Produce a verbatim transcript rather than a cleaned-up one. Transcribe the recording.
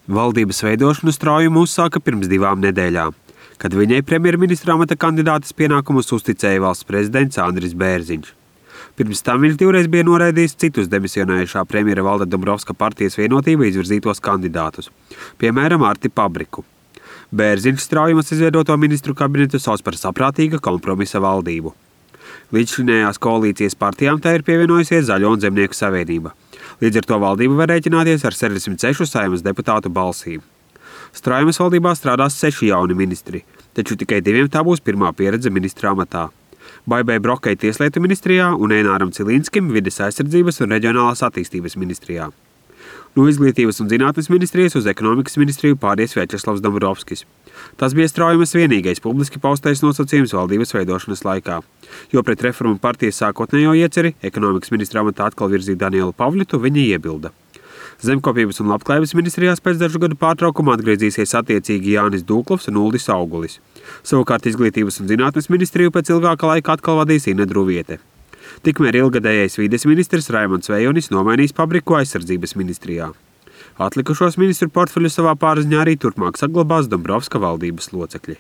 Valdības veidošanu straujumu uzsāka pirms divām nedēļām, kad viņai premjerministra amata kandidātes pienākumus uzticēja valsts prezidents Andris Bērziņš. Pirms tam viņš divreiz bija noraidījis citus demisionējušā premjera Valda Dombrovska partijas Vienotība izvirzītos kandidātus, piemēram, Arti Pabriku. Bērziņš straujumas izveidoto ministru kabinetu sauc par saprātīga kompromisa valdību. Līdzšinējās koalīcijas partijām tā ir pievienojusies Zaļo un Zemnieku savienība. Līdz ar to valdība var rēķināties ar sešdesmit sešu Saeimas deputātu balsīm. Straujumas valdībā strādās seši jauni ministri, taču tikai diviem tā būs pirmā pieredze ministra amatā. Baibai Brokai Tieslietu ministrijā un Eināram Cilīnskim Vides aizsardzības un reģionālās attīstības ministrijā. No Izglītības un zinātnes ministrijas uz ekonomikas ministriju pāries Vjačeslavs Dombrovskis. Tas bija straujumas vienīgais publiski paustais nosacījums valdības veidošanas laikā, jo pret Reformu partijas sākotnējo ieceri ekonomikas ministra amatā atkal virzīt Danielu Pavļutu viņa iebilda. Zemkopības un labklājības ministrijās pēc dažu gadu pārtraukuma atgriezīsies attiecīgi Jānis Dūklovs un Uldis Augulis. Savukārt Izglītības un zinātnes ministriju pēc ilgāka laika atkal vadīs Ina Druviete. Tikmēr ilgadējais vides ministrs Raimonds Vejonis nomainīs Pabriku aizsardzības ministrijā. Atlikušos ministru portfeļu savā pārziņā arī turpmāk saglabās Dombrovska valdības locekļi.